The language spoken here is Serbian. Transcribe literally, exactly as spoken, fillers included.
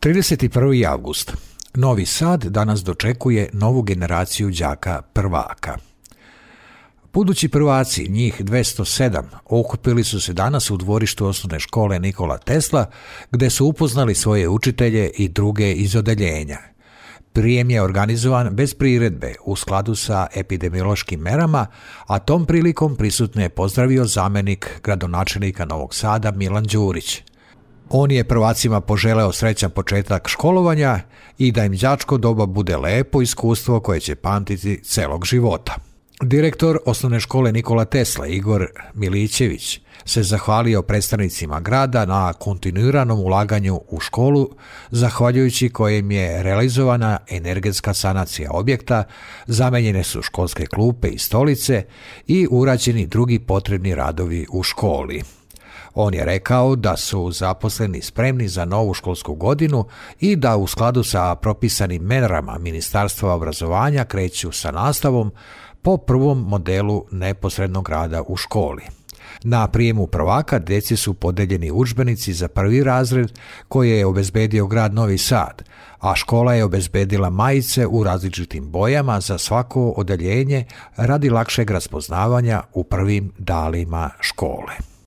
trideset prvi avgust. Novi Sad danas dočekuje novu generaciju đaka prvaka. Budući prvaci, njih dvesta sedam, okupili su se danas u dvorištu osnovne škole Nikola Tesla, gde su upoznali svoje učitelje i druge iz odeljenja. Prijem je organizovan bez priredbe u skladu sa epidemiološkim merama, a tom prilikom prisutne je pozdravio zamenik gradonačelnika Novog Sada Milan Đurić. On je prvacima poželeo srećan početak školovanja i da im đačko doba bude lepo iskustvo koje će pamtiti celog života. Direktor osnovne škole Nikola Tesla, Igor Milićević, se zahvalio predstavnicima grada na kontinuiranom ulaganju u školu, zahvaljujući kojem je realizovana energetska sanacija objekta, zamenjene su školske klupe i stolice i urađeni drugi potrebni radovi u školi. On je rekao da su zaposleni spremni za novu školsku godinu i da u skladu sa propisanim merama Ministarstva obrazovanja kreću sa nastavom po prvom modelu neposrednog rada u školi. Na prijemu prvaka djeci su podeljeni udžbenici za prvi razred koje je obezbedio grad Novi Sad, a škola je obezbedila majice u različitim bojama za svako odeljenje radi lakšeg raspoznavanja u prvim danima škole.